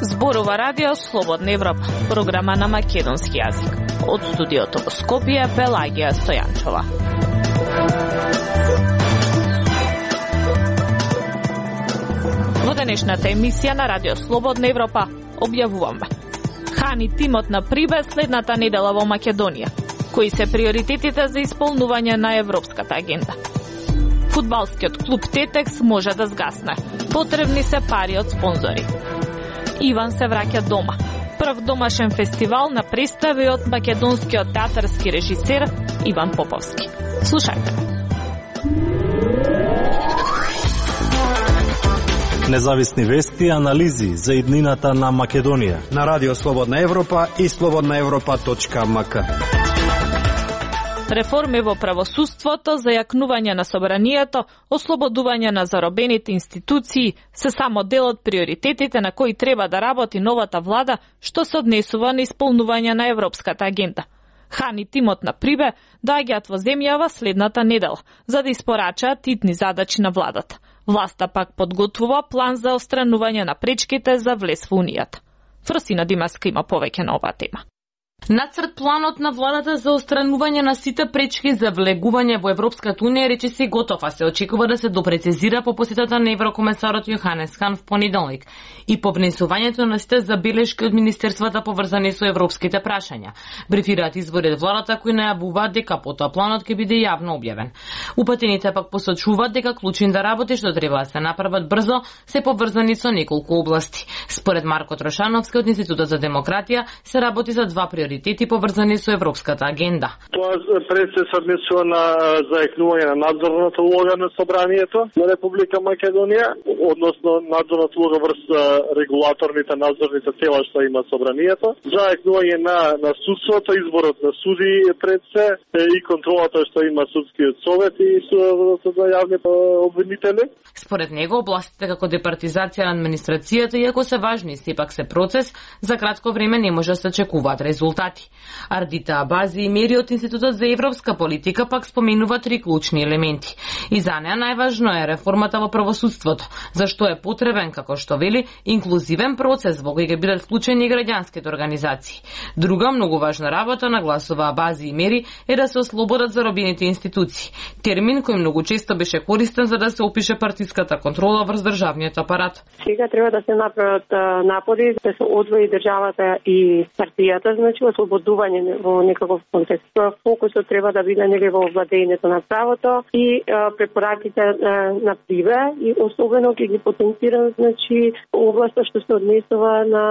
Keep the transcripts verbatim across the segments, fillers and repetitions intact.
Зборува Радио Слободна Европа, програма на македонски јазик. Од студиото во Скопје, Пелагија Стојанчова. Во денешната емисија на Радио Слободна Европа објавуваме: Хани тимот на Прибе следната недела во Македонија. Кои се приоритетите за исполнување на европската агенда? Фудбалскиот клуб Тетекс може да згасне. Потребни се пари од спонзори. Иван се враќа дома. Прв домашен фестивал на представи од македонскиот театарски режисер Иван Поповски. Слушајте. Независни вести и анализи за иднината на Македонија на Радио Слободна Европа и слободна европа точка ем ка. Реформи во правосудството, зајакнување на собранието, ослободување на заробените институции се само дел од приоритетите на кои треба да работи новата влада, што се однесува на исполнување на европската агенда. Хани тимот на Прибе доаѓаат во земјава следната недела, за да испорачаат итни задачи на владата. Власта пак подготвува план за отстранување на пречките за влез во Унијата. Фрсина Димаска има повеќе на оваа тема. Нацрт планот на владата за отстранување на сите пречки за влегување во Европската унија речиси готов, а се очекува да се допрецизира по посетата на еврокомесарот Јоханес Хан в понеделник и по внесувањето на сите забелешки од министерствата поврзани со европските прашања. Брифираат извори од владата кои најавуваат дека потоа планот ќе биде јавно објавен. Упатените пак посочуваат дека клучните работи што треба да се направат брзо се поврзани со неколку области. Според Марко Трошановски од Институтот за демократија се работи за два приоритети приоритети поврзани со европската агенда. Тоа пред се однесува на зајакнување на надзорната улога на собранието на Република Македонија, односно надзорната улога врз регулаторните надзорните тела што има собранието, зајакнување на на судството, изборот на суди пред се и контролата што има судскиот совет и со јавни обвинители. Според него областите како департизација на администрацијата, иако се важни, сепак се процес, за кратко време не може да се очекуваат резултати. Ардита Абази и Мери од Институтот за европска политика пак споменува три клучни елементи. И за неа најважно е реформата во правосудството, зашто е потребен, како што вели, инклузивен процес во кој ќе бидат вклучени граѓанските организации. Друга многу важна работа, нагласува Абази и Мери, е да се ослободат заробените институции. Термин кој многу често беше користен за да се опише партиската контрола врз државниот апарат. Сега треба да се направат напори да се одвои државата и партијата, значи ослободување во некаков контекст. Фокусот треба да биде нели во владењето на правото и а, препораките на, на Прибе и особено ќе ги потенцирам значи областа што се однесува на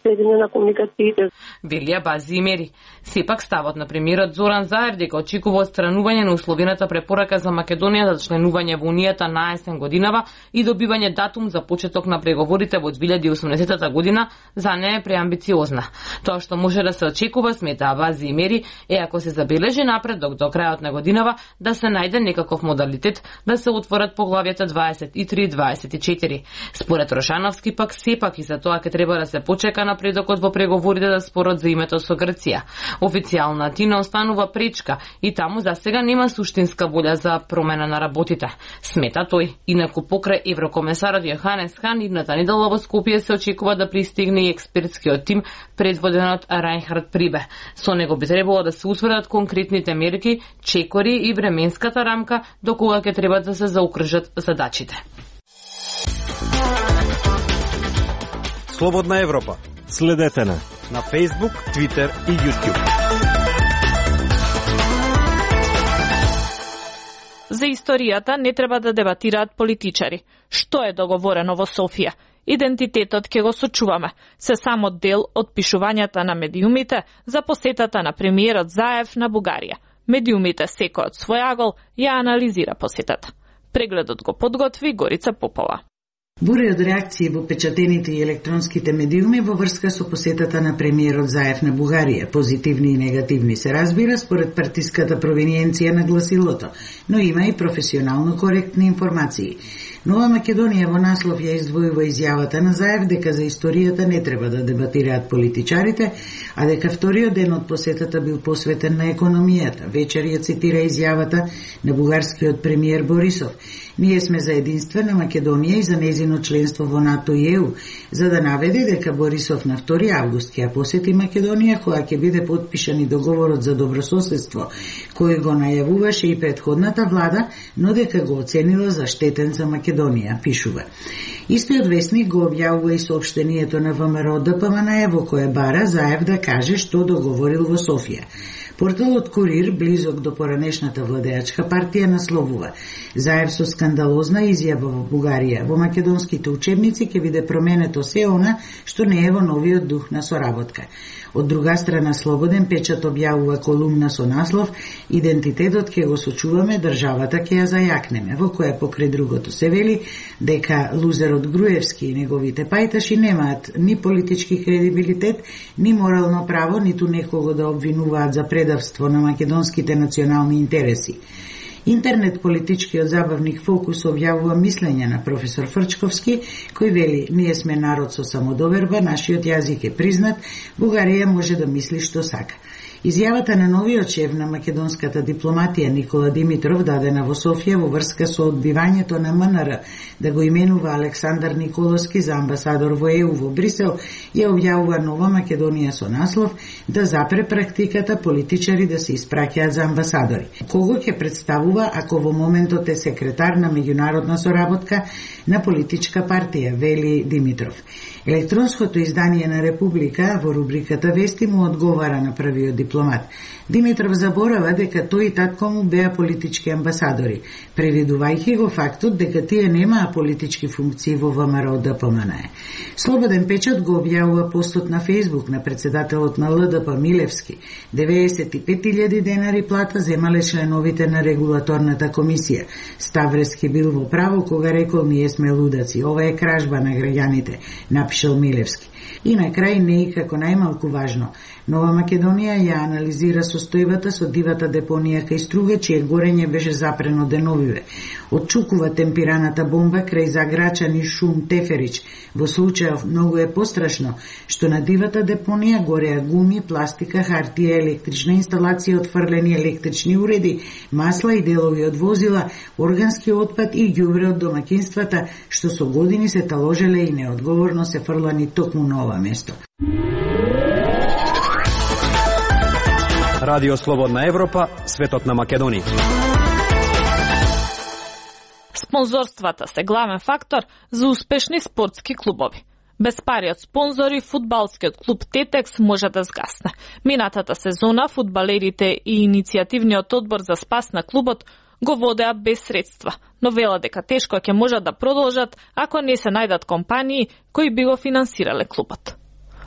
следење на комуникациите. Велија Бази и Мери. Сепак ставот на премиерот Зоран Заев дека очекува отстранување на условената препорака за Македонија за членување во Унијата на есен годинава и добивање датум за почеток на преговорите во две илјади и осумдесета година за неа е преамбициозна. Тоа што може да се очекува, смета Бази и Мери, е ако се забележи напредок до крајот на годинава да се најде некаков модалитет да се отворат поглавјата дваесет и три и дваесет и четири. Според Рошановски пак сепак и за тоа ќе треба да се почека напредокот во преговорите за спорот за името со Грција. Официјална Атина останува пречка и таму за сега нема суштинска волја за промена на работите. Смета тој. Инаку покрај еврокомесарот Јоханес Хан идната недела во Скопје се очекува да пристигне и експертскиот тим предводен од Рајнхард Прибе. Со него би требало да се утврдат конкретните мерки, чекори и временската рамка до кога ќе треба да се заукржат задачите. Слободна Европа. Следете на на Facebook, Twitter и YouTube. За историјата не треба да дебатираат политичари. Што е договорено во Софија? Идентитетот ќе го сочуваме. Се само дел од пишувањата на медиумите за посетата на премиерот Заев на Бугарија. Медиумите секој од свој агол ја анализира посетата. Прегледот го подготви Горица Попова. Буре од реакции во печатените и електронските медиуми во врска со посетата на премиерот Заев на Бугарија. Позитивни и негативни се разбира според партиската провиниенција на гласилото, но има и професионално коректни информации. Нова Македонија во наслов ја издвојува изјавата на Заев дека за историјата не треба да дебатираат политичарите, а дека вториот ден од посетата бил посветен на економијата. Вечер ја цитира изјавата на бугарскиот премиер Борисов. Ние сме за единствена Македонија и за незино членство во НАТО и Е У, за да наведе дека Борисов на втори август ќе посети Македонија кога ќе биде потпишан и договорот за добрососедство, кој го најавуваше и претходната влада, но дека го оценила за штетен за Македонија, пишува. Истиот весник го објавува и соопштението на Вэ Ем Р Д П М Н Е во кое бара Заев да каже што договорил во Софија. Порталот Курир, близок до поранешната владеачка партија, насловува: Заев со скандалозна изјава во Бугарија. Во македонските учебници ќе биде променето се она што не е во новиот дух на соработка. Од друга страна, Слободен печат објавува колумна со наслов "Идентитетот ќе го сочуваме, државата ќе ја зајакнеме", во која покрај другото се вели дека лузерот Груевски и неговите пајташи немаат ни политички кредибилитет, ни морално право, ниту некого да обвинуваат за предавство на македонските национални интереси. Интернет политичкиот забавник Фокус објавува мислење на професор Фрчковски, кој вели: "Ние сме народ со самодоверба, нашиот јазик е признат, Бугарија може да мисли што сака." Изјавата на новиот шеф на македонската дипломатија Никола Димитров, дадена во Софија во врска со одбивањето на М Н Р да го именува Александар Николовски за амбасадор во Е У во Брисел, ја објавува Нова Македонија со наслов "Да запре практиката политичари да се испраќаат за амбасадори". Кого ќе представува ако во моментот е секретар на меѓународна соработка на политичка партија, вели Димитров. Електронското издание на Република во рубриката Вести му одговара на првиот дипломат. Димитров заборава дека тој и татко му беа политички амбасадори, превидувајќи го фактот дека тие немаа политички функции во Вэ Ем Р Д П М Н Е. Слободен печат го објавува постот на Фејсбук на председателот на Л Д П Милевски. деветдесет и пет илјади денари плата земале членовите на регулаторната комисија. Ставрески бил во право кога рекол: "Ние сме лудаци, ова е кражба на граѓаните", напишал Милевски. И на крај, не и како најмалку важно, Нова Македонија ја анализира состојбата со дивата депонија кај Струга, чие горење беше запрено деновиве. Отчукува темпираната бомба крај Заграчан и Шум Теферич. Во случајов многу е пострашно што на дивата депонија гореа гуми, пластика, хартија, електрична инсталација, отфрлени електрични уреди, масла и делови од возила, органски отпад и ѓубре од домаќинствата, што со години се таложеле и неодговорно се фрлани токму на ова место. Радио Слободна Европа, светот на Македонија. Спонзорствата се главен фактор за успешни спортски клубови. Без пари од спонзори, фудбалскиот клуб Тетекс може да згасне. Минатата сезона фудбалерите и иницијативниот одбор за спас на клубот го водеа без средства, но вела дека тешко ќе можат да продолжат ако не се најдат компании кои би го финансирале клубот.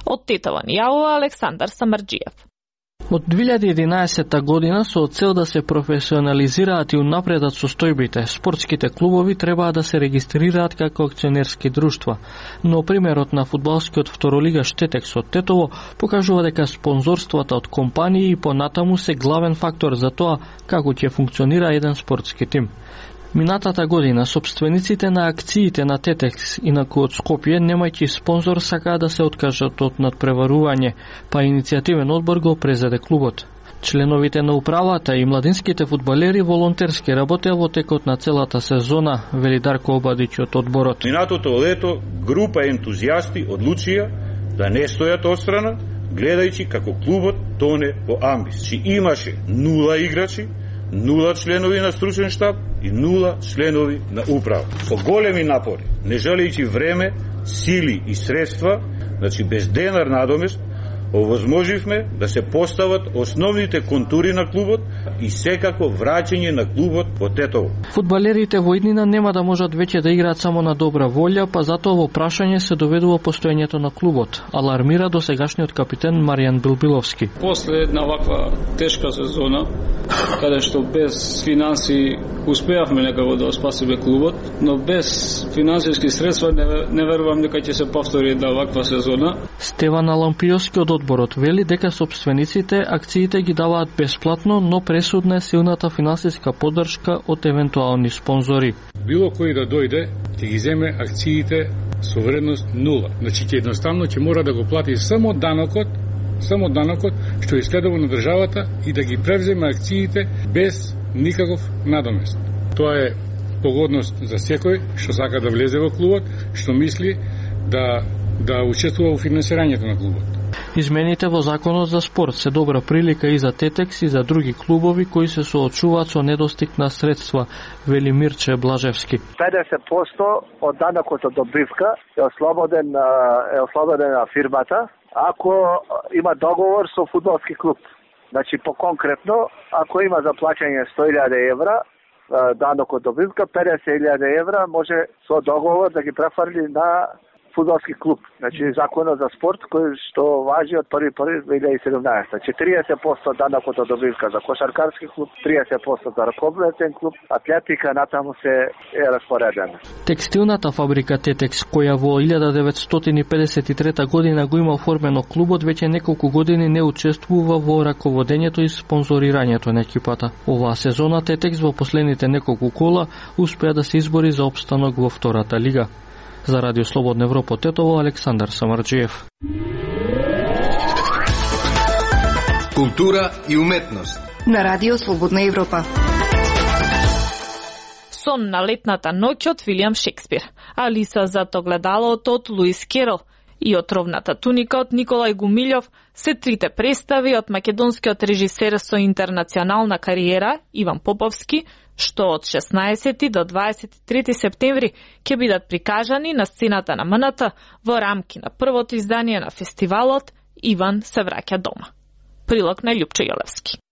Од Тетово ни јавува Александар Самарџиев. Од две илјади и единаесетта година со цел да се професионализираат и унапредат состојбите, спортските клубови требаа да се регистрираат како акционерски друштва. Но примерот на фудбалскиот второлигаш Тетекс од Тетово покажува дека спонзорствата од компании и понатаму се главен фактор за тоа како ќе функционира еден спортски тим. Минатата година собствениците на акциите на Тетекс, инаку од Скопје, немајќи спонзор, сакаа да се откажат од надпреварување, па иницијативен одбор го презеде клубот. Членовите на управата и младинските фудбалери волонтерски работеа во текот на целата сезона, вели Дарко Обадиќ од одборот. Минатото лето група ентузијасти одлучија да не стојат отстрана, гледајќи како клубот тоне во амбис. Чи имаше нула играчи, нула членови на стручен штаб и нула членови на управа. Со големи напори, не жалејќи време, сили и средства, значи без денар надомест, овозможивме да се постават основните контури на клубот и секако враќање на клубот во Тетово. Фудбалерите во иднина нема да можат веќе да играат само на добра волја, па затоа во прашање се доведува постоењето на клубот, алармира досегашниот капитен Маријан Билбиловски. После една ваква тешка сезона, каде што без финанси успеавме некако да спасиме клубот, но без финансиски средства не, не верувам дека ќе се повтори една ваква сезона. Стеван Алампиоски од одборот вели дека собствениците акциите ги даваат бесплатно, но пресудна е силната финансиска поддршка од евентуални спонзори. било кој да дојде, ќе ги земе акциите со вредност нула. Значи ќе едноставно ќе мора да го плати само данокот, само данокот што е следува на државата и да ги превземе акциите без никаков надомест. Тоа е погодност за секој што сака да влезе во клубот, што мисли да да учествува во финансирањето на клубот. Измените во законот за спорт се добра прилика и за Тетекс и за други клубови кои се соочуваат со недостиг на средства, вели Мирче Блажевски. педесет проценти од данокот од добивка е ослободен е ослободена фирмата ако има договор со фудбалски клуб. Значи по конкретно, ако има за плаќање сто илјади евра данок од добивка, педесет илјади евра може со договор да ги префрли на фудбалски клуб. Значи законот за спорт кој што важи од први први две илјади и седумнаесета. четириесет проценти данокот од добивка за кошаркарски клуб, триесет проценти за ракометен клуб, атлетика натаму се е распоредена. Текстилната фабрика Тетекс, која во илјада деветстотини педесет и трета година го има оформено клубот, веќе неколку години не учествува во раководењето и спонзорирањето на екипата. Оваа сезона Тетекс во последните неколку кола успеа да се избори за опстанок во втората лига. За Радио Слободна Европа Тетово, Александар Самарджиев. Култура и уметност на Радио Слободна Европа. Сон на летната ноќ од Вилијам Шекспир, Алиса зад огледалото од Луис Керол и Отровната туника од Николај Гумилјов се трите представи од македонскиот режисер со интернационална кариера Иван Поповски, што од шеснаесети до дваесет и трети септември ќе бидат прикажани на сцената на М Н Т во рамки на првото издание на фестивалот Иван се враќа дома. Прилог на Љупчо Јолевски.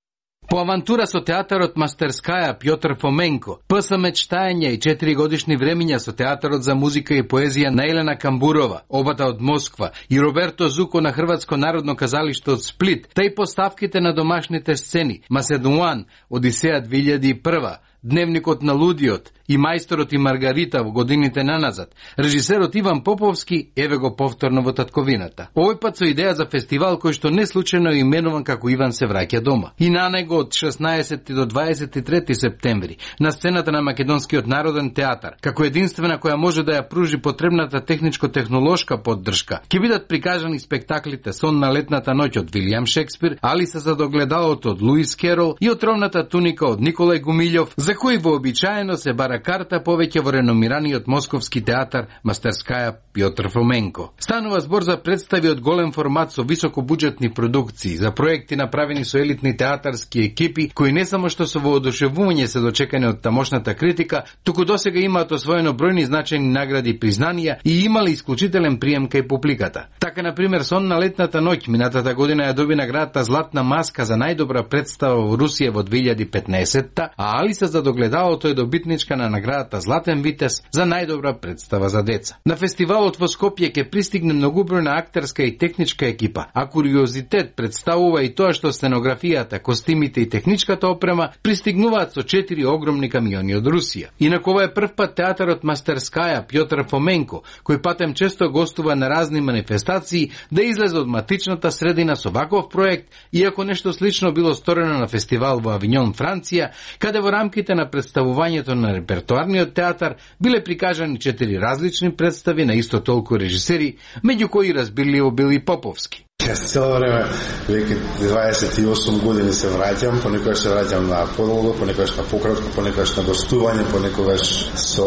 По авантура со театарот Мастерскаја Пјотр Фоменко, П.С. Мечтања и четири годишни времиња со театарот за музика и поезија на Елена Камбурова, обата од Москва, и Роберто Зуко на Хрватско народно казалиште од Сплит, тај поставките на домашните сцени Маседуан, Одисеја две илјади и прва, Дневникот на лудиот и Мајсторот и Маргарита во годините наназад, режисерот Иван Поповски еве го повторно во татковината. Овој пат со идеја за фестивал кој што не случајно е именуван како Иван се враќа дома. И на него од шеснаесети до дваесет и трети септември на сцената на Македонскиот народен театар, како единствена која може да ја пружи потребната техничко-технолошка поддршка, ќе бидат прикажани спектаклите Сон на летната ноќ од Вилијам Шекспир, Алиса зад огледалото од Луис Керол и Отровната туника од Николај Гумилјов, за кој вообичаено се бара карта повеќе во реномираниот московски театар Мастерскаја Пјотр Фоменко. Станува збор за представи од голем формат со високобуџетни продукции, за проекти направени со елитни театарски екипи, кои не само што со воодушевување се дочекани од тамошната критика, туку досега имаат освоено бројни значајни награди и признанија и имале исклучителен прием кај публиката. Така, например, Сон на летната ноќ минатата година ја доби наградата Златна маска за најдобра представа во Русија во две илјади и петнаесетта, а Алиса за огледалото е добитничка на наградата Златен витез за најдобра представа за деца. На фестивалот во Скопје ќе пристигне многубројна актерска и техничка екипа, а куриозитет представува и тоа што сценографијата, костимите и техничката опрема пристигнуваат со четири огромни камиони од Русија. Инаку ова е прв пат театарот Мастерскаја Пјотр Фоменко, кој патем често гостува на разни манифестации, да излезе од матичната средина со ваков проект, иако нешто слично било сторено на фестивал во Авињон, Франција, каде во рамките на представувањето на репертоарниот театар биле прикажани четири различни представи на исто толку режисери, меѓу кои разбирливо бил и Поповски. Јас цело време, веќе дваесет и осум години се враќам, понекогаш се враќам на подолго, понекогаш на пократко, понекогаш на гостување, понекогаш со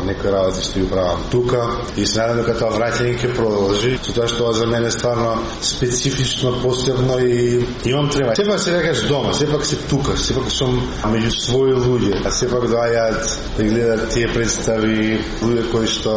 некои работи што ги правам тука и се надам дека тоа враќање ќе продолжи, со тоа што за мене е стварно специфично, посебно и имам трема. Сепак се некаш дома, сепак се тука, сепак сум меѓу своји луѓе, а сепак доаѓаат да гледат тие представи луѓе кои што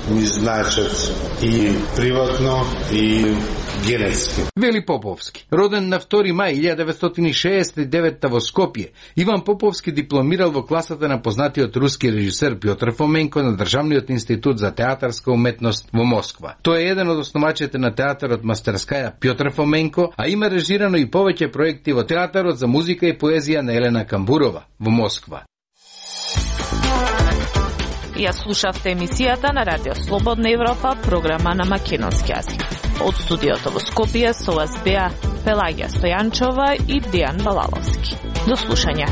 ми значат и приватно и генетски. Вели Поповски. Роден на втори мај илјада деветстотини шеесет и деветта во Скопје, Иван Поповски дипломирал во класата на познатиот руски режисер Пјотр Фоменко на Државниот институт за театарска уметност во Москва. Тој е еден од основачите на театарот Мастерскаја Пјотр Фоменко, а има режирано и повеќе проекти во театарот за музика и поезија на Елена Камбурова во Москва. Ја слушавте емисијата на Радио Слободна Европа, програма на македонски јазик. Од студиото во Скопје со вас беа Пелагија Стојанчова и Дејан Балаловски. До слушање.